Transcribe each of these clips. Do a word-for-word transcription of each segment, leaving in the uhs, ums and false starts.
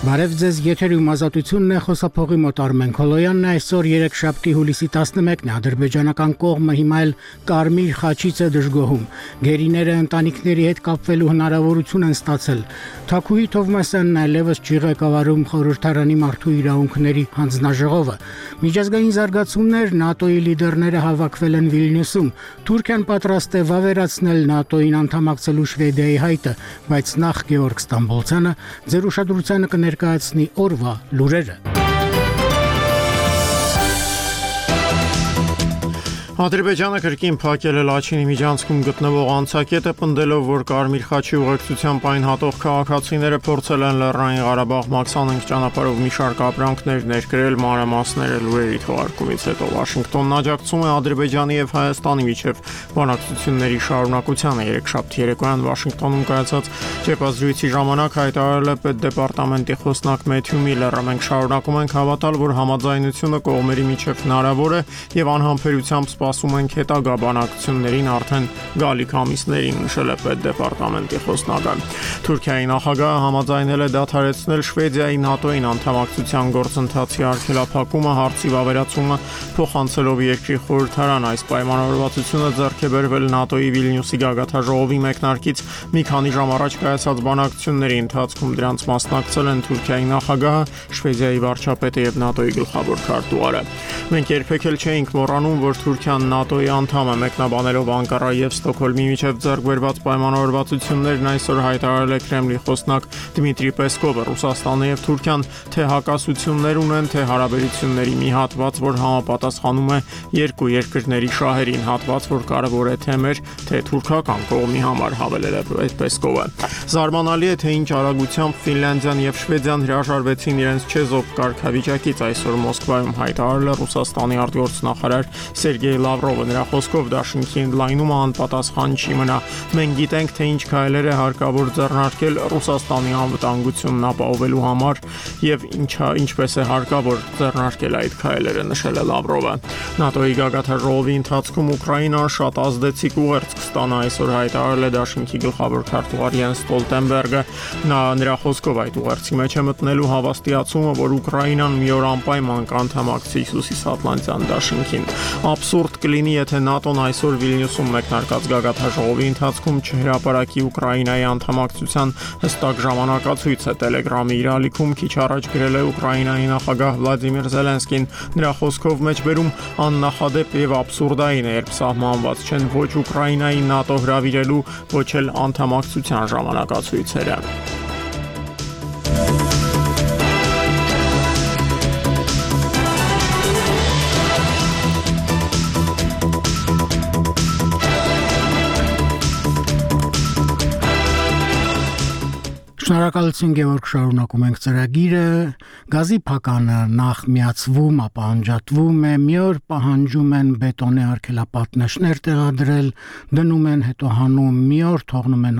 Բարև ձեզ, եթերում ազատությունն է, խոսափողի մոտ Արմեն Քոլոյանն է, այսօր երեքշաբթի հուլիսի տասնմեկն է, ադրբեջանական կողմը հիմա էլ Կարմիր խաչից է դժգոհում, գերիները ընտանիքների հետ կապվելու հնարավորություն են ստացել, Թաքուհի Թովմասյանն այլևս չի ղեկավարում խորհրդարանի մարդու իրավունքների հանձնաժողովը, միջազգային զարգացումներ, ՆԱՏՕ-ի լիդերները հավաքվել են Վիլնյուսում, Թուրքիան պատրաստ է վավերացնել ՆԱՏՕ-ին անդամակցելու Շվեդիայի հայտը, բայց նախ Գեորգ Ստամբոլցյանը ձեր ուշադրությանը կներկայացնի օրվա լուրերը։ Ադրբեջանը կրկին փակել է Լաչինի միջանցքում գտնվող անցակետը, պնդելով, որ Կարմիր խաչի ուղեկցությամբ այն հատող քաղաքացիները փորձել են Լեռնային Ղարաբաղ մաքսանենգ ճանապարհով մի շարք ապրանքներ ներկրել, մանրամասները լուրերի թողարկումից հետո Վաշինգտոնն աջակցում է Ադրբեջանի եւ Հայաստանի միջև բանակցությունների շարունակությանը։ Երեքշաբթի երեկոյան Վաշինգտոնում կայացած ճեպազրույցի ժամանակ հայտարարել է պետդեպարտամենտի խոսնակ Մեթյու Միլլերը, մենք շարունակում ենք հավատալ, որ համաձայնությունը կողմերի միջև հնարավոր է եւ անհամբերությամբ սպասում ենք հետագա բանակցություններին արդեն գալիք ամիսներին, նշել է պետդեպարտամենտի խոսնակը։ Թուրքիայի նախագահը համաձայնել է դադարեցնել Շվեդիայի ՆԱՏՕ-ին անդամակցության գործընթացի արգելափակումը, հարցի վավերացումը փոխանցելով երկրի խորհրդարան։ Այս պայմանավորվածությունը ձեռք է բերվել ՆԱՏՕ-ի Վիլնյուսի գագաթնաժողովի մեկնարկից մի քանի ժամ առաջ կայացած բանակցությունների ընթացքում դրանց մասնակցել են Թուրքիայի նախագահը, Շվեդիայի վարչապետը եւ ՆԱՏՕ-ի գլխավոր քարտուղարը։ Մենք երբեք էլ չէինք մոռանում, որ Թուրքիան ՆԱՏՕ-ի անդամ է, մեկնաբանելով Անկարայի եւ Ստոկհոլմի միջև ձեռք բերված պայմանավորվածություններն այսօր հայտարարել է Կրեմլի խոսնակ Դմիտրի Պեսկովը։ Ռուսաստանը եւ Թուրքիան թե հակասություններ ունեն, թե հարաբերությունների մի հատված, որ համապատասխանում է երկու երկրների շահերին, հատված, որ կարևոր է թե մեր, թե թուրքական կողմի համար, հավելել է Պեսկովը։ Զարմանալի է, թե ինչ արագությամբ Ֆինլանդիան եւ Շվեդիան հրաժարվեցին իրենց չեզոք կարգավիճակից, այսօր Մոսկվայում հայտարարել է Ռուսաստանի արտգործնախարար Սերգեյ Լավրովը, նրա խոսքով դաշինքի ընդլայնումը անպատասխան չի մնա։ Մենք գիտենք, թե ինչ քայլեր է հարկավոր ձեռնարկել Ռուսաստանի անվտանգությունն ապահովելու համար եւ ինչա ինչպես է հարկավոր ձեռնարկել այդ քայլերը, նշել է Լավրովը։ ՆԱՏՕ-ի գագաթնաժողովի ընթացքում Ուկրաինան շատ ազդեցիկ ուղերձ կստանա, այսօր հայտարարել է դաշինքի գլխավոր քարտուղար Յենս Ստոլտենբերգը։ Նա նրա խոսքով այդ ուղերձի մեջ է մտնելու հավաստիացումը, որ Ուկրաինան մի օր անպայման կանդամակցի Հյուսիսատլանտյան դաշինքին։ Абսուրդ կլինի, եթե ՆԱՏՕ-ն այսօր Վիլնյուսում մեկնարկած գագաթնաժողովի ընթացքում չհրապարակի Ուկրաինայի անդամակցության հստակ ժամանակացույցը։ Տելեգրամի իր ալիքում քիչ առաջ գրել է Ուկրաինայի նախագահ Վլադիմիր Զելենսկին։ Նրա խոսքով մեջբերում աննախադեպ եւ абսուրդային է, երբ սահմանված չեն ոչ Ուկրաինայի ՆԱՏՕ հրավիրելու, ոչ էլ անդամակցության ժամանակացույցերը։ Շնորհակալություն Գեորգ, շարունակում ենք ծրագիրը, գազի փականը նախ միացվում, ապա անջատվում է, մի օր պահանջում են բետոնե արգելապատնեշներ տեղադրել, դնում են, հետո հանում, մի օր թողնում են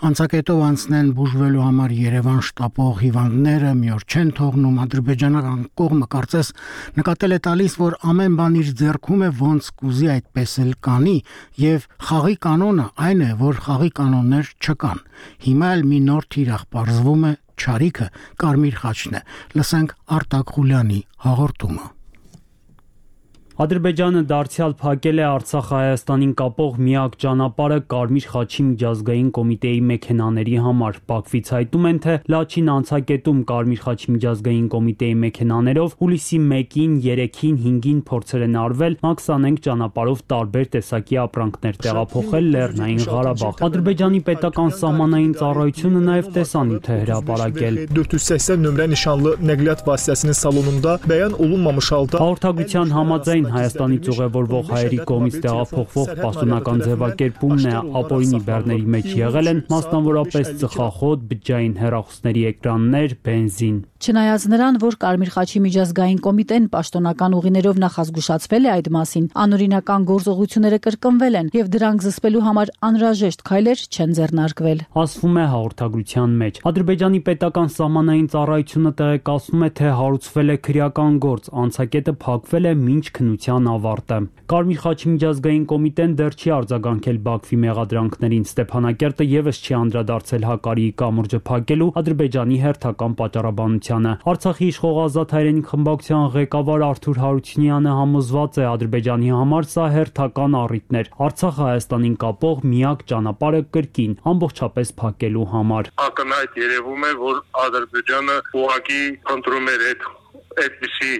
անցակետով անցնեն բուժվելու համար Երևան շտապող հիվանդները, մի օր չեն թողնում, ադրբեջանական կողմը կարծես նկատել է տալիս, որ ամեն բան իր ձեռքում է, ոնց կուզի այդպես էլ կանի, եւ խաղի կանոնը այն է, որ խաղի կանոններ չկան։ Հիմա էլ մի նոր թիրախ պարզվում է չարիքը Կարմիր խաչն է։ Լսենք Արտակ Խուլյանի հաղորդումը։ Ադրբեջանը դարձյալ փակել է Արցախ-Հայաստանին կապող միակ ճանապարհը Կարմիր խաչի միջազգային կոմիտեի մեքենաների համար։ Բաքվից հայտում են, թե Լաչին անցակետում Կարմիր խաչի միջազգային կոմիտեի մեքենաներով հուլիսի մեկին, երեքին, հինգին փորձեր են արվել մաքսանենգ ճանապարհով տարբեր տեսակի ապրանքներ տեղափոխել Լեռնային Ղարաբաղ։ Ադրբեջանի պետական սահմանային ծառայությունը նաև տեսանյութ է հրապարակել։ dört yüz seksen nömrə nişanlı nəqliyyat vasitəsinin salonunda bəyan olunmamış halda հաղորդագրության համաձայն Հայաստանից ուղևորվող հայերի կողմից տեղափոխվող պաշտոնական ձևակերպումն է ապօրինի բեռների մեջ եղել են մասնավորապես ծխախոտ, բջջային հեռախոսների էկրաններ, բենզին։ Չնայած նրան, որ Կարմիր խաչի միջազգային կոմիտեն պաշտոնական ուղիներով նախազգուշացվել է այդ մասին, անօրինական գործողությունները կրկնվել են եւ դրանք զսպելու համար անհրաժեշտ քայլեր չեն ձեռնարկվել։ Ասվում է հաղորդագրության մեջ։ Ադրբեջանի պետական սահմանային ծառայությունը տեղեկացնում է, թե հարուցվել է քրեական գործ, անցակետը փակվել է մինչ քննություն գործունեության ավարտը։ Կարմիր խաչի միջազգային կոմիտեն դեռ չի արձագանքել Բաքվի մեղադրանքներին։ Ստեփանակերտը եւս չի անդրադարձել Հակարիի կամուրջը փակելու Ադրբեջանի հերթական պատճառաբանությանը։ Արցախի իշխող Ազատ հայրենիք խմբակցության ղեկավար Արթուր Հարությունյանը համոզված է, Ադրբեջանի համար սա հերթական առիթ էր Արցախը Հայաստանին կապող միակ ճանապարհը կրկին ամբողջապես փակելու համար։ Ակնհայտ երևում է, որ Ադրբեջանը ուղղակի ընտրում էր այդ այդպիսի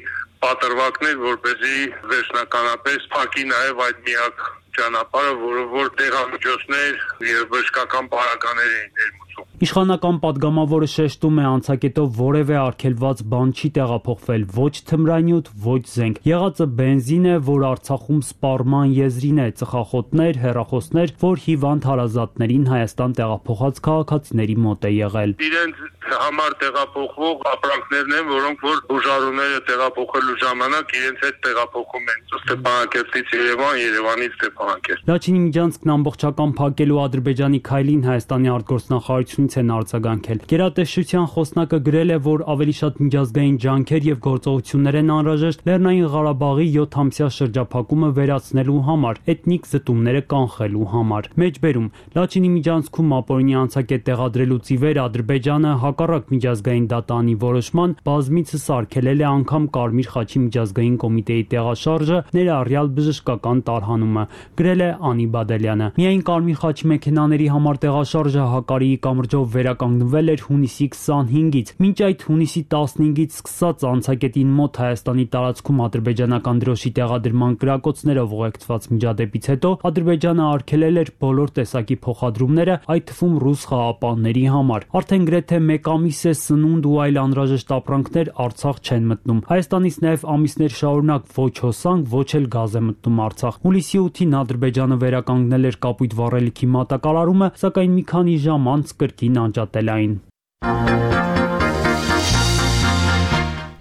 պատրվակներ, որպեսզի վերջնականապես փակի նաև այդ միակ ճանապարհը, որը որ տեղամիջոցներ եւ բժշկական պարագաներ էին ներմուծում։ Իշխանական падգամավորը շեշտում է, անցակետով որևէ արգելված բան չի տեղափոխվել, ոչ թմրանյութ, ոչ զենք։ Եղածը բենզին է, որ Արցախում սպառման եզրին է, ծխախոտներ, հեռախոսներ, որ հիվանդ հարազատներին Հայաստան տեղափոխած քաղաքացիների մոտ է եղել։ Իրենց համար տեղափոխվող ապրանքներն են, որոնք որ բուժարուները տեղափոխելու ժամանակ իրենց հետ տեղափոխում են Ստեփանակերտից Երևան, Երևանից Ստեփանակերտ։ Լաչինի միջանցքն ամբողջական փակելու Ադրբեջանի քայլին Հայաստանի արտգործնախարարությունից են արձագանքել։ Գերատեսչության խոսնակը գրել է, որ ավելի շատ միջազգային ջանքեր եւ գործողություններ են անհրաժեշտ Լեռնային Ղարաբաղի յոթամսյա շրջափակումը վերացնելու համար, էթնիկ զտումները կանխելու համար։ Մեջբերում Լաչինի միջանցքում ապօրինի անցակետ տեղադրելուց ի վեր Ադրբեջանը հակառակ միջազգային դատանի որոշման բազմիցս արգելել է անգամ Կարմիր խաչի միջազգային կոմիտեի տեղաշարժը, ներառյալ բժշկական տարհանումը, գրել է Անի Բադալյանը։ Միայն Կարմիր խաչի մեքենաների համար տեղաշարժը Հակարիի կամրջով վերականգնվել էր հունիսի քսանհինգից։ Մինչ այդ հունիսի տասնհինգից սկսած անցակետին մոտ Հայաստանի տարածքում ադրբեջանական դրոշի տեղադրման կրակոցներով ուղեկցված միջադեպից հետո Ադրբեջանը արգելել էր բոլոր տեսակի փոխադրումները, այդ թվում ռուս խաղապանների համար։ Արդեն գրեթե մեկ ամիս է սնունդ ու այլ անհրաժեշտ ապրանքներ Արցախ չեն մտնում։ Հայաստանից նաև ամիսներ շարունակ ոչ հոսանք, ոչ էլ գազ է մտնում Արցախ։ Հուլիսի ութին Ադրբեջանը վերականգնել էր կապույտ վառելիքի մատակարարումը, սակայն մի քանի ժամ անց կրկին անջատել այն։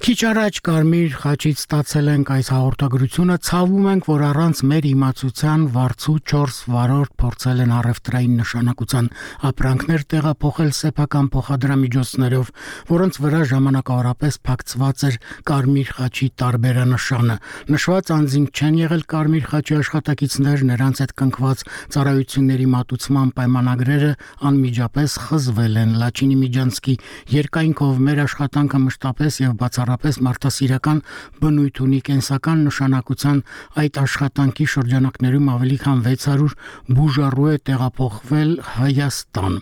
Քիչ առաջ Կարմիր խաչից ստացել ենք այս հաղորդագրությունը, ցավում ենք, որ առանց մեր իմացության վարձու չորս վարորդ փորձել են առևտրային նշանակության ապրանքներ տեղափոխել սեփական փոխադրամիջոցներով, որոնց վրա ժամանակավորապես փակցված էր Կարմիր խաչի տարբերանշանը։ Նշված անձինք չեն եղել Կարմիր խաչի աշխատակիցներ, նրանց հետ կնքված ծառայությունների մատուցման պայմանագրերը անմիջապես խզվել են։ Լաչինի միջանցքի երկայնքով մեր աշխատանքը մշտապես եւ բացառապես մարդասիրական բնույթ ունի կենսական նշանակության այդ աշխատանքի շրջանակներում ավելի քան վեց հարյուր բուժառու է տեղափոխվել Հայաստան։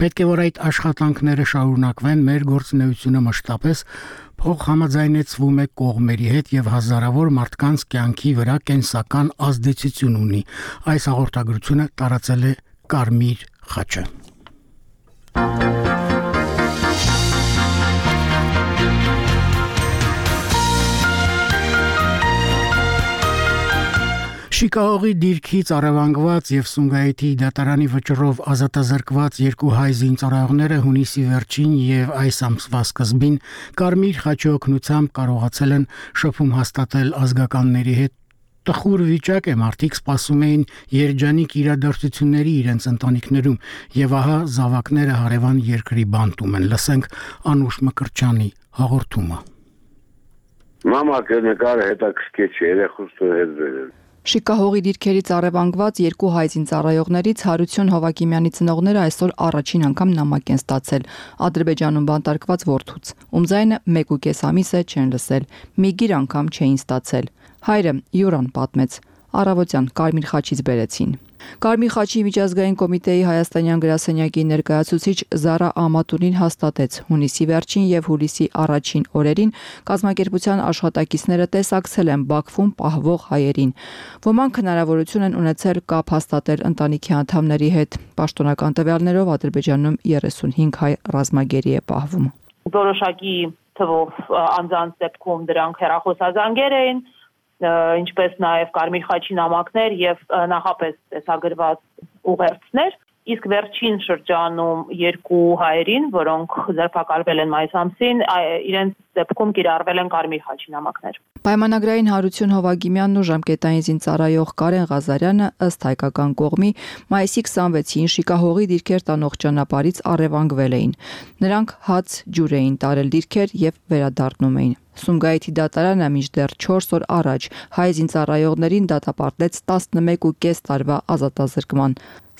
Պետք է որ այդ աշխատանքները շարունակվեն, մեր գործունեությունը մշտապես փոխհամաձայնեցվում է կողմերի հետ եւ հազարավոր մարդկանց կյանքի վրա կենսական ազդեցություն ունի։ Այս հաղորդագրությունը տարածել է Կարմիր խաչը։ Շիկահողի դիրքից առևանգված եւ Սումգայիթի դատարանի վճռով ազատազրկված երկու հայ զինծառայողները հունիսի վերջին եւ այս ամսվա սկզբին Կարմիր խաչի օգնությամբ կարողացել են շփում հաստատել ազգականների հետ։ Տխուր վիճակ է, մարդիկ սպասում էին երջանիկ իրադարձությունների իրենց ընտանիքներում եւ ահա զավակները հարևան երկրի բանտում են։ Լսենք Անուշ Մկրտչյանի հաղորդումը։ Մամա կնկարը հետաքրքիր չէ, երեխուս հետ վերել։ Շիկահողի դիրքերից առևանգված երկու հայ զինծառայողներից Հարություն Հովակիմյանի ծնողները այսօր առաջին անգամ նամակ են ստացել Ադրբեջանում բանտարկված որդուց, ում ձայնը մեկ ու կես ամիս է չեն լսել, մի գիր անգամ չէին ստացել։ Հայրը Յուրան պատմեց, առավոտյան Կարմիր խաչից բերեցին։ Կարմիր խաչի միջազգային կոմիտեի հայաստանյան գրասենյակի ներկայացուցիչ Զարա Ամատունին հաստատեց հունիսի վերջին եւ հուլիսի առաջին օրերին կազմակերպության աշխատակիցները տեսակցել են Բաքվում պահվող հայերին։ Ոմանք հնարավորություն են ունեցել կապ հաստատել ընտանիքի անդամների հետ։ Պաշտոնական տվյալներով Ադրբեջանում երեսունհինգ հայ ռազմագերի է պահվում։ Որոշակի թվով անձանց դեպքում դրանք հեռախոսազանգեր էին, ինչպես նաև Կարմիր խաչի նամակներ եւ նախապես տեսագրված ուղերձներ, իսկ վերջին շրջանում երկու հայերին, որոնք ձերբակալվել են մայիս ամսին, իրենց դեպքում կիրառվել են կարմիր խաչի նամակներ։ Պայմանագրային Հարություն Հովագիմյանն ու ժամկետային զինծառայող Կարեն Ղազարյանը ըստ հայկական կողմի մայիսի քսանվեցին Շիկահողի դիրքեր տանող ճանապարհից առևանգվել էին։ Նրանք հաց ջուր էին տարել դիրքեր եւ վերադառնում էին։ Սումգայիթի դատարանը մինչդեռ չորս օր առաջ հայ զինծառայողներին դատապարտեց տասնմեկուկես տարվա ազատազրկման,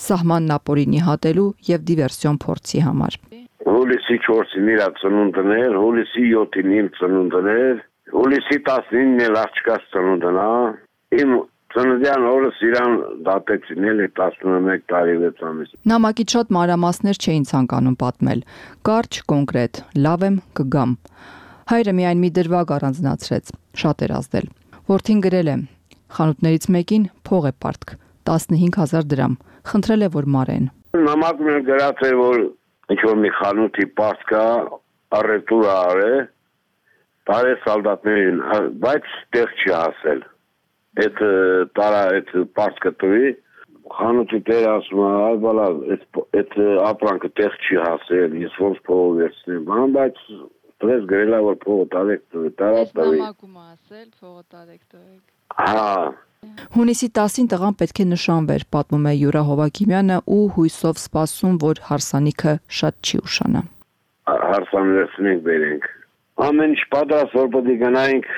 սահմանն ապօրինի հատելու եւ դիվերսիոն փորձի համար։ Հուլիսի չորսին իր ծնունդն էր, հուլիսի յոթին իմ ծնունդն էր, հուլիսի տասնինն էլ աղջկաս ծնունդն է, իմ ծննդյան օրս իրան դատեցին էլ տասնմեկ տարի վեց ամիս։ Նամակից շատ մանրամասներ չէին ցանկանում պատմել, կարճ, կոնկրետ, լավ եմ, կգամ։ Հայրը միայն մի դրվագ առանձնացրեց, շատ էր ազդել։ Որդին գրել է. խանութներից մեկին փող է պարտք, տասնհինգ հազար դրամ, խնդրել է, որ մարեն։ Նամակում էլ գրած էր, որ ինչ-որ մի խանութի պարտք է, առևտուր արե, տարե սալդատներին, բայց տեղ չի հասել։ Այդ տարա այդ պարտքը տվի, խանութի տերը ասում է, այ բալա, այդ ապրանքը տեղ չի հասել, ես ոնց փողով վերցնեմ, բայց Դրես գրելա, որ փողը տարեք տվեք, տարած տվեք։ Նամակում ասել, փողը տարեք տվեք։ Հա։ Հունիսի տասին տղան պետք է նշանվեր, պատմում է Յուրա Հովագիմյանը ու հույսով սպասում, որ հարսանիքը շատ չի ուշանա։ Հարսանիքներ բերենք։ Ամեն ինչ պատրաստ, որ պետք է գնայինք։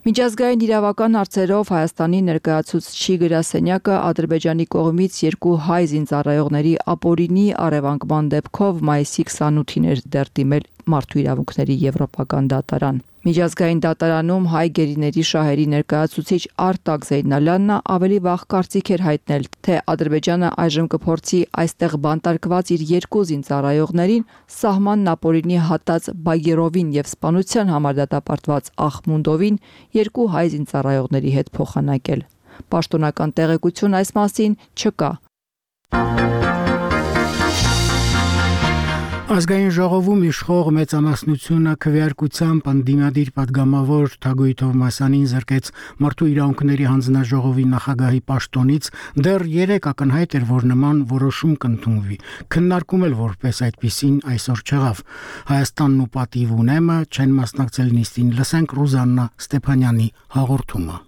Միջազգային իրավական հարցերով Հայաստանի ներկայացուցչի գրասենյակը Ադրբեջանի կողմից երկու հայ զինծառայողների ապօրինի առևանգման դեպքով մայիսի քսանութին էր դեռ դիմել Մարդու իրավունքների եվրոպական դատարան։ Միջազգային դատարանում հայ գերիների շահերի ներկայացուցիչ Արտակ Զեյնալյանն ավելի վաղ կարծիք էր հայտնել, թե Ադրբեջանը այժմ կփորձի այստեղ բանտարկված իր երկու զինծառայողներին սահմանն ապօրինի հատած Բայերովին եւ սպանության համար դատապարտված Ախմունդովին երկու հայ զինծառայողների հետ փոխանակել։ Պաշտոնական տեղեկություն այս մասին չկա։ Ազգային ժողովում իշխող մեծամասնությունը քվեարկությամբ ընդդիմադիր պատգամավոր Թագուհի Թովմասյանին զրկեց Մարդու իրավունքների հանձնաժողովի նախագահի պաշտոնից, դեռ երեք ակնհայտ էր, որ նման որոշում կընդունվի։ Քննարկում էլ որպես այդպիսին այսօր չեղավ։ Հայաստանն ու Պատիվ ունեմը չեն մասնակցել նիստին։ Լսենք Ռուզաննա Ստեփանյանի հաղորդումը։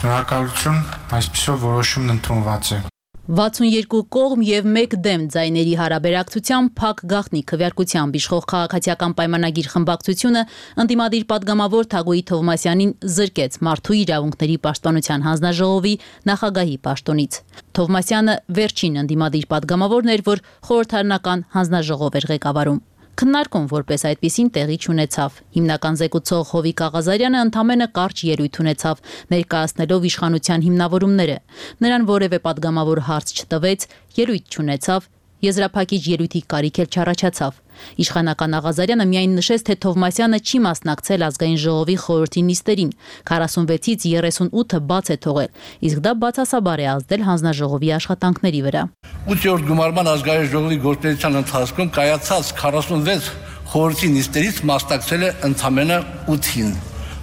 Շնորհակալություն, այսպիսով որոշումն ընդունված է։ վաթսունյոթ կողմ եւ մեկ դեմ ձայների հարաբերակցությամբ փակ գաղտնի քվեարկությամբ իշխող քաղաքացիական պայմանագիր խմբակցությունը ընդդիմադիր պատգամավոր Թագուհի Թովմասյանին զրկեց Մարդու իրավունքների պաշտպանության հանձնաժողովի նախագահի պաշտոնից։ Թովմասյանը վերջին ընդդիմադիր պատգամավորն էր, որ խորհրդարանական հանձնաժողով էր ղեկավարում։ Քննարկում որպես այդպիսին տեղի չունեցավ։ Հիմնական զեկուցող Հովիկ Աղազարյանը ընդամենը կարճ ելույթ ունեցավ, ներկայացնելով իշխանության հիմնավորումները։ Նրան որևէ պատգամավոր հարց չտվեց, ելույթ չունեցավ, եզրափակիչ ելույթի կարիք էլ չառաջացավ։ Իշխանական Աղազարյանը միայն նշեց, թե Թովմասյանը չի մասնակցել ազգային ժողովի խորհրդի նիստերին, քառասունվեցից երեսունութը բաց է թողել, իսկ դա բացասաբար է ազդել հանձնաժողովի աշխատանքների վրա։ ութերորդ գումարման ազգային ժողովի գործունեության ընթացքում կայացած քառասունվեց խորհրդի նիստերից մասնակցել է ընդամենը ութին։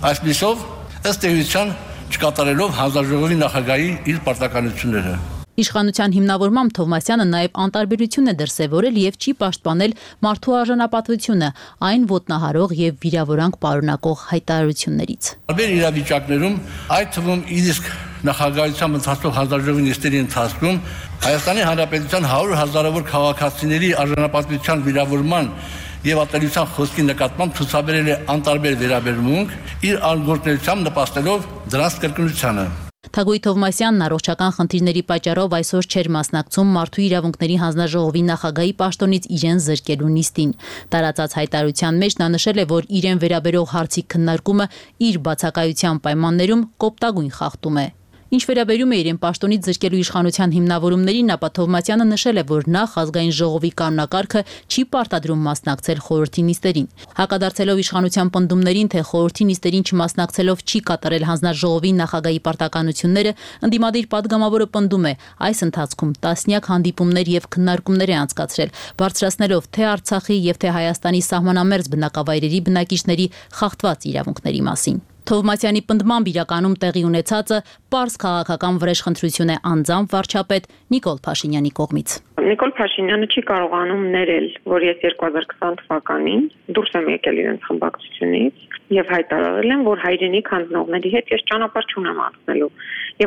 Այսպիսով, ըստ էության չկատարելով հանձնաժողովի նախագահի իր պարտականությունները։ Իշխանության հիմնավորմամբ Թովմասյանը նաև անտարբերություն է դրսևորել եւ չի պաշտպանել մարդու արժանապատվությունը, այն ոտնահարող եւ վիրավորանք պարունակող հայտարարություններից։ Տարբեր իրավիճակներում, այդ թվում իսկ նախագահությամբ ընթացող հանձնաժողովի նիստերի ընթացքում Հայաստանի Հանրապետության հարյուր հազարավոր քաղաքացիների արժանապատվության վիրավորման եւ ատելության խոսքի նկատմամբ ցուցաբերել է անտարբեր վերաբերմունք, իր անգործնությամբ նպաստելով դրանց կրկնությանը։ Թագուհի Թովմասյանն առողջական խնդիրների պատճառով այսօր չէր մասնակցում Մարդու իրավունքների հանձնաժողովի նախագահի պաշտոնից իրեն զրկելու նիստին։ Տարածած հայտարարության մեջ նա նշել է, որ իրեն վերաբերող հարցի քննարկումը իր բացակայության պայմաններում կոպտագույն խախտում է։ Ինչ վերաբերում է իրեն պաշտոնից զրկելու իշխանության հիմնավորումներին, ապա Թովմասյանը նշել է, որ նախ ազգային ժողովի կանոնակարգը չի պարտադրում մասնակցել խորհրդի նիստերին։ Հակադարձելով իշխանության պնդումներին, թե խորհրդի նիստերին չմասնակցելով չի կատարել հանձնաժողովի նախագահի պարտականությունները, ընդդիմադիր պատգամավորը պնդում է, այս ընթացքում տասնյակ հանդիպումներ եւ քննարկումներ է անցկացրել, բարձրացնելով թե Արցախի եւ թե Հայաստանի սահմանամերձ բնակավայրերի բնակիչների խախտված իրավունքների մասին։ Թովմասյանի պնդմամբ իրականում տեղի ունեցածը պարզ քաղաքական վրեժխնդրություն է անձամբ վարչապետ Նիկոլ Փաշինյանի կողմից։ Նիկոլ Փաշինյանը չի կարողանում ներել, որ ես երկու հազար քսան թվականին դուրս եմ եկել իրենց խմբակցությունից եւ հայտարարել եմ, որ հայրենիք հանձնողների հետ ես ճանապարհ չունեմ անցնելու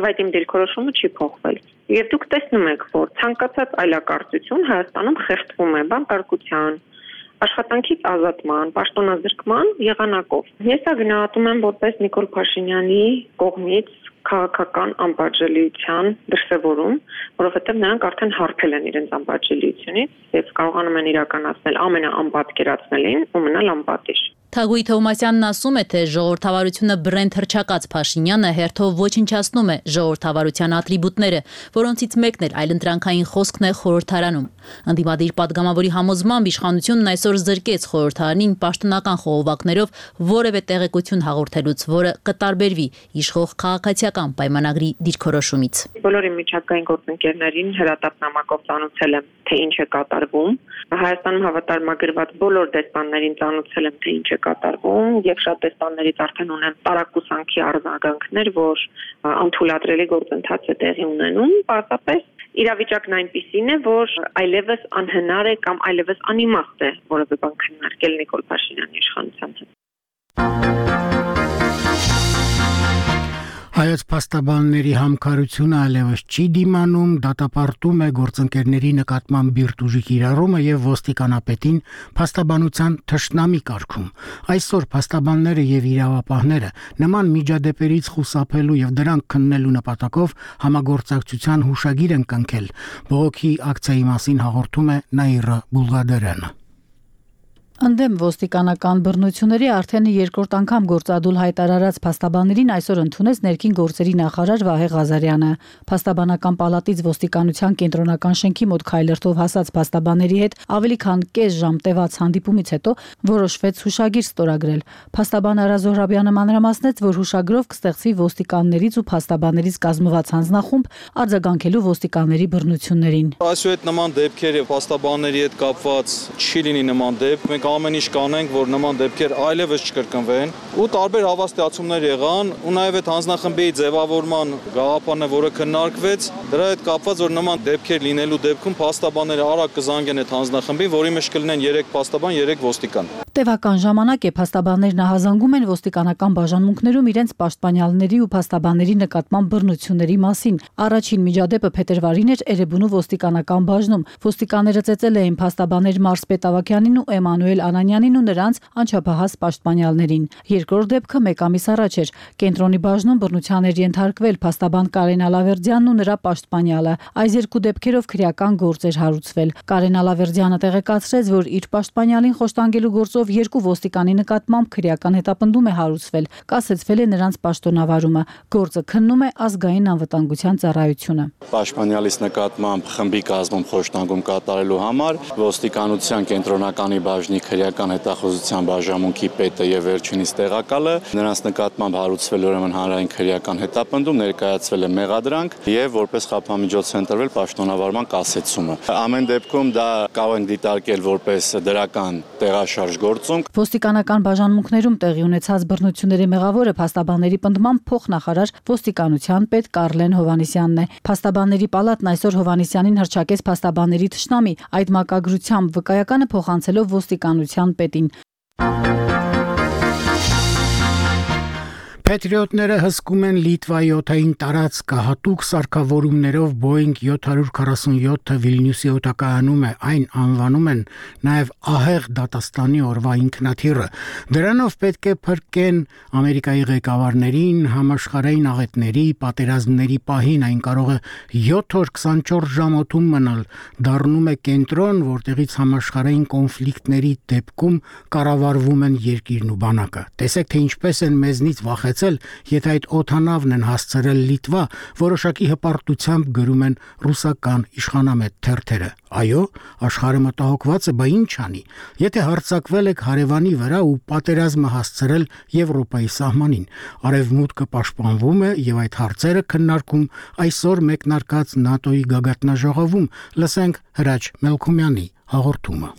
եւ այդ իմ դիրքորոշումը չի փոխվել։ Եվ դուք տեսնում եք, որ ցանկացած այլակարծություն Հայաստանում խեղդվում է բանտարկության, աշխատանքից ազատման, պաշտոնազրկման եղանակով։ Ես դա գնահատում եմ որպես Նիկոլ Փաշինյանի կողմից քաղաքական անպատժելիության դրսևորում, որովհետև նրանք արդեն հարբել են իրենց անպատժելիությունից եւ կարողանում են իրականացնել ամենաանպատկերացնելին ու մնալ անպատիժ։ Թագուհի Թովմասյանն ասում է, թե ժողովրդավարությունը բրենդ հռչակած Փաշինյանը հերթով ոչնչացնում է ժողովրդավարության ատրիբուտները, որոնցից մեկն էլ այլընտրանքային խոսքն է խորհրդարանում։ Ընդդիմադիր падգամավորի համոզմամբ իշխանությունն այսօր զրկեց խորհրդարանին պաշտոնական խողովակներով որևէ տեղեկություն հաղորդելուց, որը կտարբերվի իշխող քաղաքացիական պայմանագրի դիրքորոշումից։ Բոլոր միջազգային գործընկերներին հրատապնամակով ծանոթացել եմ, թե ինչ է կատարվում։ Հայաստանում հավատարմագրված բոլոր դեսպաններին ծանոթացել եմ, թե ինչ է կատարվում եւ շատ դեսպաններից արդեն ունեմ տարակուսանքի արձագանքներ, որ անթույլատրելի գործընթաց է տեղի ունենում, պարզապես իրավիճակն այնպիսին է, որ այլևս անհնար է կամ այլևս անիմաստ է որևէ բան քննարկել Նիկոլ Փաշինյանի իշխանության հետ։ Հայոց փաստաբանների համքարությունը այլևս չի դիմանում, դատապարտում է գործընկերների նկատմամբ բիրտուժի կիրառումը եւ ոստիկանապետին փաստաբանության թշնամի կարգում։ Այսօր փաստաբանները եւ իրավապահները նման միջադեպերից խուսափելու եւ դրանք քննելու նպատակով համագործակցության հուշագիր են կնքել։ Բողոքի ակցիայի մասին հաղորդում է Նաիրա Բուլղադարյանը։ Ընդդեմ ոստիկանական բռնությունների արդեն երկրորդ անգամ գործադուլ հայտարարած փաստաբաններին այսօր ընդունեց ներքին գործերի նախարար Վահե Ղազարյանը։ Փաստաբանական պալատից ոստիկանության կենտրոնական շենքի մոտ քայլերթով հասած փաստաբանների հետ ավելի քան կես ժամ տևած հանդիպումից հետո որոշվեց հուշագիր ստորագրել։ Փաստաբան Արա Զոհրաբյանը մանրամասնեց, որ հուշագրով կստեղծվի ոստիկաններից ու փաստաբաններից կազմված հանձնախումբ արձագանքելու ոստիկանների բռնություններին։ Այսուհետ նման դեպքեր եւ փաստաբանների հետ կապված չի լինի նման դեպք։ Մենք ամեն ինչ կանենք, որ նման դեպքեր այլևս չկրկնվեն ու տարբեր հավաստիացումներ եղան ու նաև այդ հանձնախմբի ձևավորման գաղափարն է, որը քննարկվեց, դրա հետ կապված, որ նման դեպքեր լինելու դեպքում փաստաբանները արագ կզանգեն այդ հանձնախմբին, որի մեջ կլինեն երեք փաստաբան, երեք ոստիկան։ Տևական ժամանակ է փաստաբաններն ահազանգում են ոստիկանական բաժանմունքներում իրենց պաշտպանյալների ու փաստաբանների նկատմամբ բռնությունների մասին։ Առաջին միջադեպը փետրվարին էր Էրեբունու ոստիկանական բաժնում։ Ոստիկանները ծեծել էին փաստաբաներ Մարսպետ Ավագյանին ու Էմանուել Անանյանին ու նրանց անչափահաս պաշտպանյալներին։ Երկրորդ դեպքը մեկ ամիս առաջ էր։ Կենտրոնի բաժնում բռնության էր ենթարկվել փաստաբան Կարեն Ալավերդյանն ու նրա պաշտպանյալը։ Այս երկու դեպքերով քրեական գործ էր հարուցվել։ Կարեն Ալավերդյանը տեղեկացրեց, որ իր պաշտպանյալին խոշտանգելու գործով երկու ոստիկանի նկատմամբ քրեական հետապնդում է հարուցվել, կասեցվել է նրանց պաշտոնավարումը։ Գործը քննում է ազգային անվտանգության ծառայությունը։ Պաշտպանյալից նկատմամբ խմբի կազմում խոշտանգում կատարելու համար ոստիկանության կենտրոնականի բաժնի քրեական հետախուզության բաժանմունքի պետը եւ վերջինիս տեղակալը նրանց նկատմամբ հարուցվել ուրեմն հանրային քրեական հետապնդում, ներկայացվել է մեղադրանք եւ որպես խափամիջոց է ընտրվել պաշտոնավարման կասեցումը։ Ամեն դեպքում դա կարող ենք դիտարկել որպես դրական տեղաշարժ գործունք։ Ոստիկանական բաժանմունքներում տեղի ունեցած բռնությունների մեղավորը փաստաբանների պնդմամբ փոխնախարար ոստիկանության պետ Կարլեն Հովանեսյանն է։ Փաստաբանների պալատն այսօր Հովանեսյանին հրճակեց փաստաբանների թշնամի, այդ մակագրությամբ վկայականը փոխանցելով ոստիկանության պետին։ Պետրիոտները հսկում են Լիտվայի օդային տարածքը հատուկ սարքավորումներով Boeing seven forty-seven Վիլնյուսի օդակայանում է, այն անվանում են նաև ահեղ դատաստանի օրվա ինքնաթիռը։ Դրանով պետք է փրկեն Ամերիկայի ղեկավարներին համաշխարհային աղետների, պատերազմների պահին, այն կարող է seven օր twenty-four ժամ օդում մնալ, դառնում է կենտրոն, որտեղից համաշխարհային կոնֆլիկտների դեպքում կառավարվում են երկիրն ու բանակը։ Տեսեք, թե ինչպես են մեզնից վախեցել, եթե այդ օդանավն են հասցրել Լիտվա, որոշակի հպարտությամբ գրում են ռուսական իշխանամետ թերթերը։ Այո, աշխարհը մտահոգված է, բա ինչ անի։ Եթե հարձակվել եք հարևանի վրա ու պատերազմը հասցրել Եվրոպայի սահմանին, արևմուտքը պաշտպանվում է եւ այդ հարցերը քննարկում այսօր մեկնարկած ՆԱՏՕ-ի գագաթնաժողովում։ Լսենք Հրաչ Մելքումյանի հաղորդումը։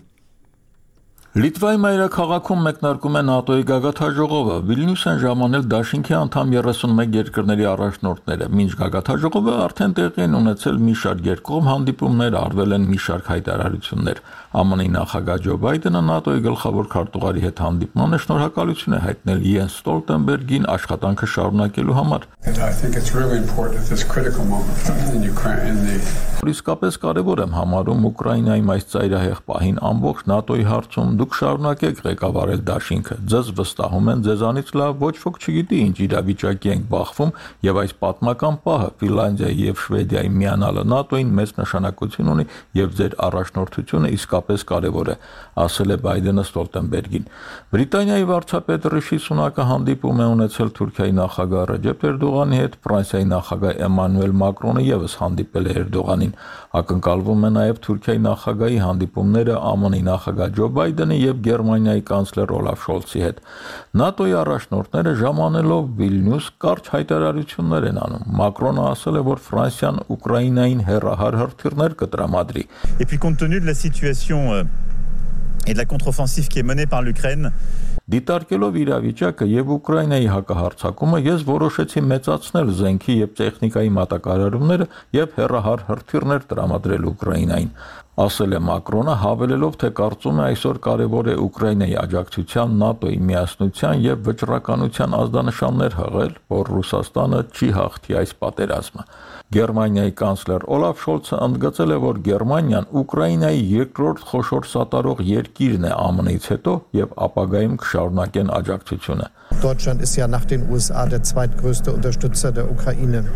Լիտվայի մայրաքաղաքում մեկնարկում է ՆԱՏՕ-ի գագաթաժողովը։ Վիլնյուս են ժամանել դաշինքի անդամ երեսունմեկ երկրների առաջնորդները։ Մինչ գագաթաժողովը արդեն տեղի են ունեցել մի շարք երկկողմ հանդիպումներ, արվել են մի շարք հայտարարություններ։ ԱՄՆ-ի նախագահ Ջո Բայդենը ՆԱՏՕ-ի գլխավոր քարտուղարի հետ հանդիպմանը շնորհակալություն է հայտնել Յենս Ստոլտենբերգին աշխատանքը շարունակելու համար։ Իսկապես կարևոր եմ համարում Ուկրաինայում այս ծայրահեղ պահին ամբողջ ՆԱՏՕ-ի հարցում դուք շարունակեք ղեկավարել դաշինքը։ Ձեզ վստահում են, ձեզանից լավ ոչ ոք չգիտի ինչ իրավիճակի ենք բախվում, եւ այս պատմական պահը Ֆինլանդիայի եւ Շվեդիայի միանալը ՆԱՏՕ-ին մեծ նշանակություն ունի եւ ձեր առաջնորդությունը իսկապես կարևոր է, ասել է Բայդենը Ստոլտենբերգին։ Բրիտանիայի վարչապետ Ռիշի Սունակը հանդիպում է ունեցել Թուրքիայի նախագահ Ռեջեփ Էրդողանի հետ, Ֆրանսիայի նախագահ Էմանուել Մակրոնը եւս հանդիպել է Էրդողանին։ Ակնկալվում է նաեւ Թուրքիայի նախագահի հանդիպումները ԱՄՆ-ի նախագահ Ջո Բայդենի եւ Գերմանիայի կանցլեր Օլաֆ Շոլցի հետ։ ՆԱՏՕ-ի առաջնորդները ժամանելով Վիլնյուս կարճ հայտարարություններ են անում։ Մակրոնը ասել է, որ Ֆրանսիան Ուկրաինային հերահար հրթիռներ կտրամադրի։ Et puis compte tenu de la situation et de la contre-offensive qui est menée par l'Ukraine, Դիտարկելով իրավիճակը եւ Ուկրաինայի հակահարձակումը, ես որոշեցի մեծացնել զենքի եւ տեխնիկայի մատակարարումները եւ հերահար հրթիռներ տրամադրել Ուկրաինային, ասել է Մակրոնը, հավելելով, թե կարծում է այսօր կարևոր է Ուկրաինայի աջակցության, ՆԱՏՕ-ի միասնության եւ վճռականության ազդանշաններ հղել, որ Ռուսաստանը չի հաղթի այս պատերազմը։ Գերմանիայի կանցլեր Օլաֆ Շոլցը ընդգծել է, որ Գերմանիան Ուկրաինայի երկրորդ խոշոր սատարող երկիրն է ԱՄՆ-ից հետո եւ ապագայում կշարունակեն աջակցությունը։ Deutschland ist ja nach den U S A der zweitgrößte Unterstützer der Ukraine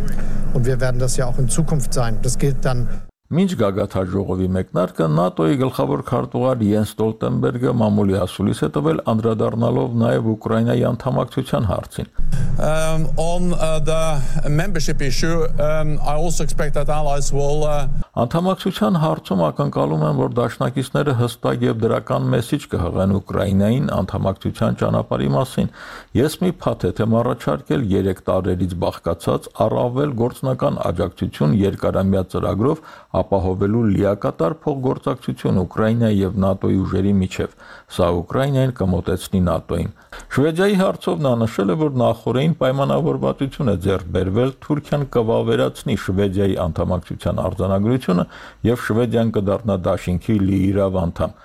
und wir werden das ja auch in Zukunft sein. Das gilt dann Մինչ գագաթաժողովի մեկնարկը ՆԱՏՕ-ի գլխավոր քարտուղար Յենս Ստոլտենբերգը մամուլի ասուլիս է տվել անդրադառնալով նաև Ուկրաինայի անդամակցության հարցին։ Um, on uh, the membership issue, um, I also expect that allies will uh... Անդամակցության հարցում ակնկալում են, որ դաշնակիցները հստակ եւ դրական մեսիջ կհղեն Ուկրաինային անդամակցության ճանապարհի մասին։ Ես մի փաթեթ եմ առաջարկել երեք տարերից բաղկացած առավել գործնական աջակցություն երկարամյա ծրագրով ապահովելու լիակատար փոխգործակցություն Ուկրաինայի եւ ՆԱՏՕ-ի ուժերի միջև։ Սա Ուկրաինային կմոտեցնի ՆԱՏՕ-ին։ Շվեդիայի հարցով նա նշել է, որ նախորդին պայմանավորվածություն է ձեռք բերվել Թուրքիան կվավերացնի Շվեդիայի անդամակցության արձանագրությունը եւ Շվեդիան կդառնա դաշինքի լիիրավ անդամ։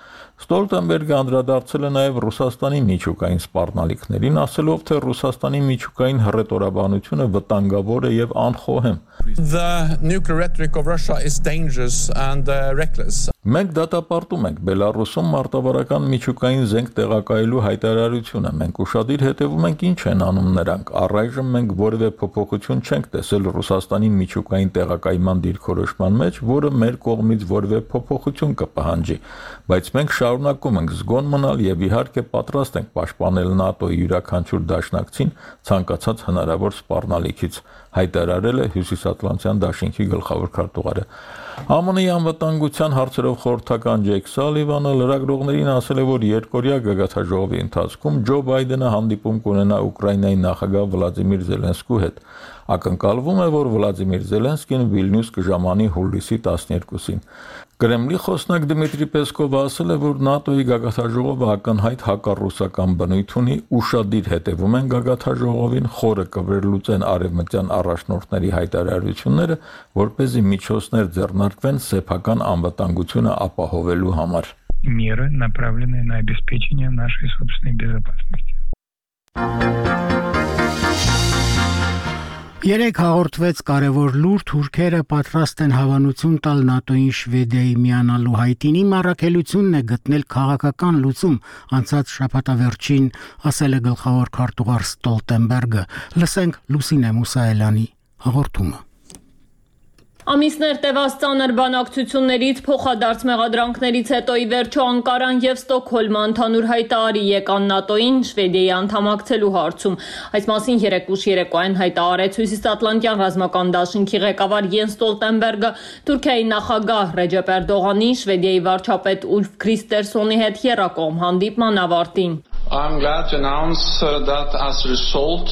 Ստոլտենբերգը անդրադարձել է նաև Ռուսաստանի միջուկային սպառնալիքներին, ասելով, թե Ռուսաստանի միջուկային հռետորաբանությունը վտանգավոր է եւ անխոհեմ։ The nuclear rhetoric of Russia is dangerous and uh, reckless. Մենք դատապարտում ենք Բելարուսում մարտավարական միջուկային զենք տեղակայելու հայտարարությունը։ Մենք ուշադիր հետևում ենք ինչ են անում նրանք։ Առայժմ մենք որևէ փոփոխություն չենք տեսել Ռուսաստանի միջուկային տեղակայման դիրքորոշման մեջ, որը մեր կողմից որևէ փոփոխություն կպահանջի, բայց մենք շարունակում ենք զգոն մնալ եւ իհարկե պատրաստ ենք պաշտպանել ՆԱՏՕ-ի յուրաքանչյուր դաշնակցին ցանկացած հնարավոր սպառնալիքից, հայտարարել է Հյուսիսատլանտյան դաշինքի գլխավոր քարտուղարը։ ԱՄՆ-ի անվտանգության հարցերով խորհրդական Ջեյք Սալիվանը լրագրողներին ասել է, որ երկօրյա գագաթաժողովի ընթացքում Ջո Բայդենը հանդիպում կունենա Ուկրաինայի նախագահ Վլադիմիր Զելենսկու հետ։ Ակնկալվում է, որ Վլադիմիր Զելենսկին Վիլնյուս կժամանի հուլիսի տասներկուսին։ Կրեմլի խոսնակ Դմիտրի Պեսկովը ասել է, որ ՆԱՏՕ-ի գագաթաժողովը ակնհայտ հակառուսական բնույթ ունի, ուշադիր հետևում են գագաթաժողովին, խորը կվերլուծեն արևմտյան առաջնորդների հայտարարությունները, որպեսզի միջոցներ ձեռնարկվեն սեփական անվտանգությունը ապահովելու համար։ Меры, направленные на обеспечение нашей собственной безопасности. Երեք հաղորդվեց կարևոր լուր, թուրքերը պատրաստ են հավանություն տալ ՆԱՏՕ-ին Շվեդիայի միանալու հայտինի մառաքելությունն է գտնել քաղաքական լուծում անցած շաբաթավերջին, ասել է գլխավոր քարտուղար Ստոլտենբերգը։ Լսենք Լուսինե Մուսայելյանի հաղորդումը։ Ամիսներ տևած ծանր բանակցություններից, փոխադարձ մեղադրանքներից հետո ի վերջո Անկարան եւ Ստոկհոլմը ընդհանուր հայտարարի եկան ՆԱՏՕ-ին Շվեդիայի անդամակցելու հարցում։ Այս մասին երեկ ուշ երեկոյան հայտարարեց Հյուսիսատլանտյան ռազմական դաշինքի ղեկավար Յենս Ստոլտենբերգը Թուրքիայի նախագահ Ռեջեփ Էրդողանի, Շվեդիայի վարչապետ Ուլֆ Քրիստերսոնի հետ եռակողմ հանդիպման ավարտին։ I'm glad to announce that as a result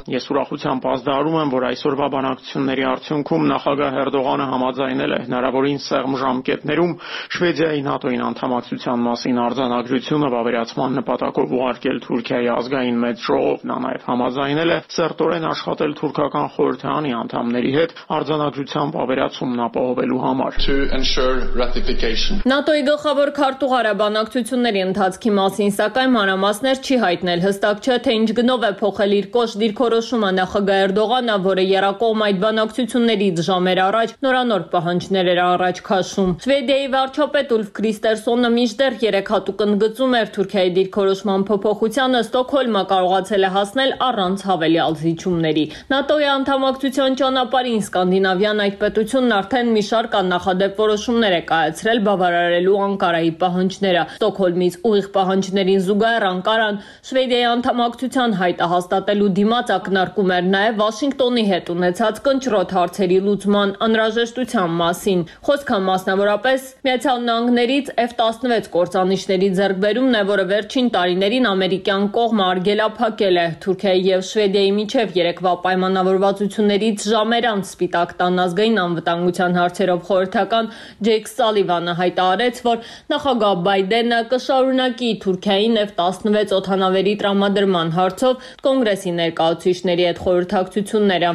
Ես ուրախությամբ ազդարում եմ, որ այսօրվա բանակցությունների արդյունքում նախագահ Էրդողանը համաձայնել է հնարավորին սեղմ ժամկետներում Շվեդիայի ՆԱՏՕ-ին անդամակցության մասին արձանագրությունը վավերացման նպատակով ուղարկել Թուրքիայի ազգային մեծ ժողով։ Նա նաև համաձայնել է սերտորեն աշխատել թուրքական խորհրդարանի անդամների հետ արձանագրության վավերացումն ապահովելու համար։ To ensure ratification. ՆԱՏՕ-ի գլխավոր քարտուղարը բանակցությունների ընթացքի մասին սակայն մանրամասներ չի հայտնել, հստակ չէ, թե ինչ գնով է փոխել իր կոշտ դիրքորոշումը նախագահ Էրդողանը, որը եռակողմ այդ բանակցություններից ժամեր առաջ նորանոր պահանջներ էր առաջ քաշում։ Շվեդիայի վարչապետ Ուլֆ Քրիստերսոնը մինչդեռ երեք հատուկ ընդգծում էր Թուրքիայի դիրքորոշման փոփոխությանը, Ստոկհոլմը կարողացել է հասնել առանց հավելյալ զիջումների։ ՆԱՏՕ-ի անդամակցության ճանապարհին Սկանդինավյան այդ պետությունն արդեն մի շարք աննախադեպ որոշումներ է կայացրել բավարարելու Անկարայի պահանջները։ Ստոկհոլմից ուղիղ պահանջներին զուգահեռ Անկարան Շվեդիայի անդամակցության հայտը հաստատելու դիմաց ակնարկում էր նաև Վաշինգտոնի հետ ունեցած կնճռոտ հարցերի լուծման անհրաժեշտության մասին։ Խոսքը մասնավորապես Միացյալ Նահանգներից F տասնվեց կործանիչների ձեռքբերումն է, որը վերջին տարիներին ամերիկյան կողմը արգելափակել է։ Թուրքիայի եւ Շվեդիայի միջև երեկվա պայմանավորվածություններից ժամեր անց Սպիտակ տան ազգային անվտանգության հարցերով խորհրդական Ջեյք Սալիվանը հայտարարեց, որ նախագահ Բայդենը կշարունակի Թուրքիային F տասնվեց օդանավերի տրամադրման հարցով կոնգրեսի ներկայացուցիչների հետ խորհրդակցությունները։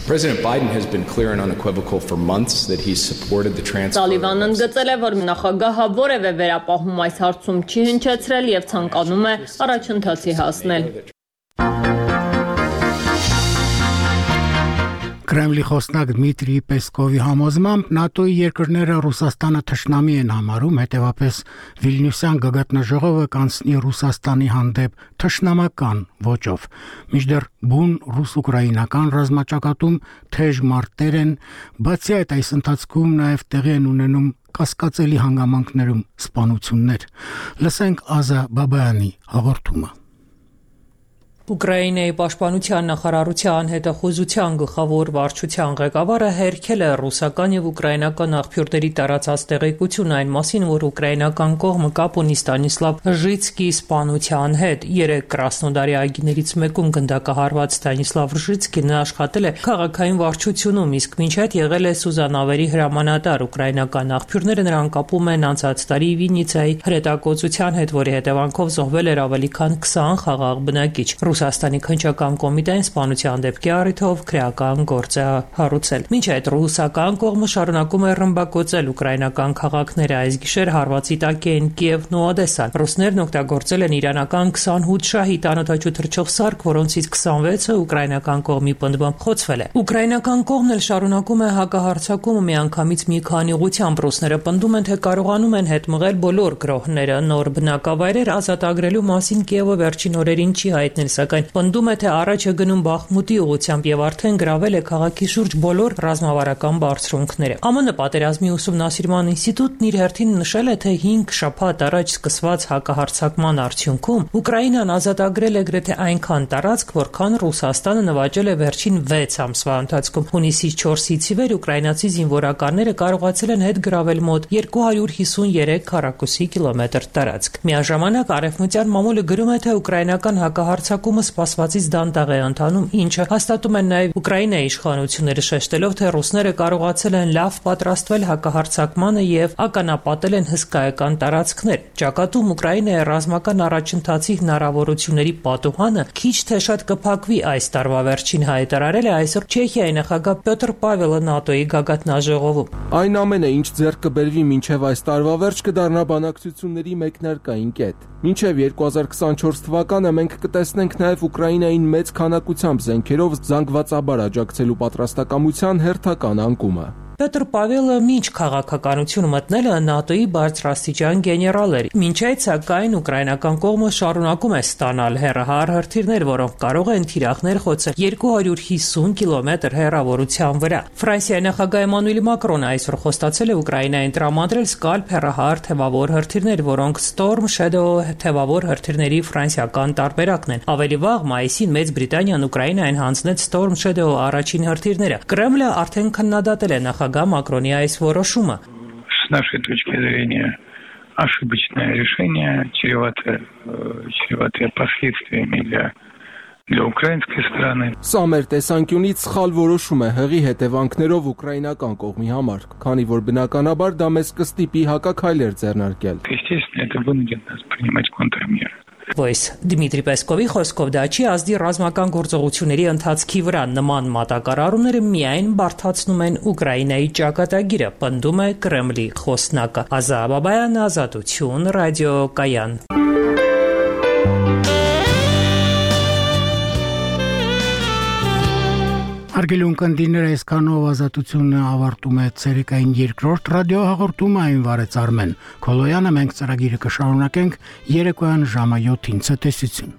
President Biden has been clear and unequivocal for months that he's supported the transfer. Սալիվանն ընդգծել է, որ նախագահը որևէ վերապահում այս հարցում չի հնչեցրել եւ ցանկանում է առաջընթացի հասնել։ Կրեմլի խոսնակ Դմիտրի Պեսկովի համոզմամբ ՆԱՏՕ-ի երկրները Ռուսաստանը թշնամի են համարում, հետևապես Վիլնյուսյան գագաթնաժողովը կանցնի Ռուսաստանի հանդեպ թշնամական ոճով։ Մինչդեռ բուն ռուս-ուկրաինական ռազմաճակատում թեժ մարտեր են, բացի այդ այս ընթացքում նաև տեղի են ունենում կասկածելի հանգամանքներում սպանություններ։ Լսենք Ազա Բաբայանի հաղորդումը։ Ուկրաինայի պաշտպանության նախարարության հետախուզության գլխավոր վարչության ղեկավարը հերքել է ռուսական եւ ուկրաինական աղբյուրների տարածած տեղեկություն այն մասին, որ ուկրաինական կողմը կապ ունի Ստանիսլավ Ռժիցկիի սպանության հետ։ Երեք Կրասնոդարի այգիներից մեկում գնդակահարված Ստանիսլավ Ռժիցկին աշխատել է քաղաքային վարչությունում, իսկ մինչ այդ եղել է Սուզանավերի հրամանատար։ Ուկրաինական աղբյուրները նրան կապում են անցած տարի Վիննիցայի հրետակոծության հետ, որի հետևանքով զոհվել էր ավելի քան քսան խաղաղ բնակիչ։ Ռուսաստանի քննչական կոմիտեն սպանության դեպքի առիթով քրեական գործ է հարուցել։ Մինչ այդ ռուսական կողմը շարունակում է ռմբակոծել ուկրաինական քաղաքները, այս գիշեր հարվածի տակ են Կիևն ու Օդեսան։ Ռուսներն օգտագործել են իրանական քսանութ շահիդ անօդաչու թռչող սարք, որոնցից քսանվեցը ուկրաինական կողմի պնդմամբ խոցվել է։ Ուկրաինական կողմն էլ շարունակում է հակահարձակումը միանգամից մի քանի ուղղությամբ։ Ռուսները պնդում են, թե կարողանում են հետ մղել բոլոր գրոհները։ Նոր բնակավայրեր ազատագրելու մասին Կիևը վերջին օրերին չի հայտնել, սակայն պնդում է, թե առաջ է գնում Բախմուտի ուղղությամբ եւ արդեն գրավել է քաղաքի շուրջ բոլոր ռազմավարական բարձրունքները։ ԱՄՆ պատերազմի ուսումնասիրման ինստիտուտն իր հերթին նշել է, թե հինգ շաբաթ առաջ սկսված հակահարձակման արդյունքում Ուկրաինան ազատագրել է գրեթե այնքան տարածք, որքան Ռուսաստանը նվաճել է վերջին վեց ամսվա ընթացքում։ Հունիսի չորսից ի վեր ուկրաինացի զինվորականները կարողացել են հետ գրավել մոտ երկու հարյուր հիսունյերեք քառակուսի կիլոմետր տարածք։ Միաժամանակ Արևմտյան մամուլը գրում է, թե ուկրաինական հակահարձակումը սպասվածից դանդաղ է ընթանում, ինչը հաստատում են նաև Ուկրաինայի իշխանությունները, շեշտելով, թե ռուսները կարողացել են լավ պատրաստվել հակահարձակմանը եւ ականապատել են հսկայական տարածքներ։ Ճակատում Ուկրաինայի ռազմական առաջընթացի հնարավորությունների պատուհանը քիչ թե շատ կփակվի այս տարվա վերջին, հայտարարել է այսօր Չեխիայի նախագահ Պյոտր Պավելը ՆԱՏՕ-ի գագաթնաժողովում։ Այն ամենը, ինչ ձեռք կբերվի մինչև այս տարվա վերջ, կդառնա բանակցությունների մեկնարկային կետ։ Մինչև երկու հազար քսանչորս թվականը մենք կտեսնենք նաև Ուկրաինային մեծ քանակությամբ զենքերով զանգվածաբար աջակցելու պատրաստակամության հերթական անկումը։ Պյոտր Պավելը մինչ քաղաքականություն մտնելը ՆԱՏՕ-ի բարձրաստիճան գեներալ էր։ Մինչ այդ, սակայն, ուկրաինական կողմը շարունակում է ստանալ հեռահար հրթիռներ, որոնք կարող են թիրախներ խոցել երկու հարյուր հիսուն կիլոմետր հեռավորության վրա։ Ֆրանսիայի նախագահ Էմանուել Մակրոնը այսօր խոստացել է Ուկրաինային տրամադրել Սկալփ հեռահար թևավոր հրթիռներ, որոնք Storm Shadow թևավոր հրթիռների ֆրանսիական տարբերակն են։ Ավելի վաղ մայիսին Մեծ Բրիտանիան Ուկրաինային հանձնեց Storm Shadow առաջին հրթիռները։ Կրեմլը արդեն քննադատել է նախագահ Մակրոնի այս որոշումը։ С нашей точки зрения, ошибочное решение, чреватое, чреватое последствиями для для украинской стороны. Սա մեր տեսանկյունից սխալ որոշում է հղի հետևանքներով ուկրաինական կողմի համար, քանի որ բնականաբար դա մեզ կստիպի հակաքայլեր ձեռնարկել։ Естественно, это вынудит нас принимать контрмеры. Voice Դմիտրի Պեսկովի խոսքով դա չի ազդի ռազմական գործողությունների ընթացքի վրա նման մատակարարումները միայն բարդացնում են Ուկրաինայի ճակատագիրը, պնդում է Կրեմլի խոսնակը։ Ազա Բաբայան, Ազատություն, ռադիո Կայան։ Արգելուն կնդիները այսքանով ազատությունը ավարտում է ցերեկային երկրորդ ռադիո հաղորդումը այն վարեց Արմեն Քոլոյանը մենք ծրագիրը կշարունակենք երեկոյան ժամը յոթին ցտեսություն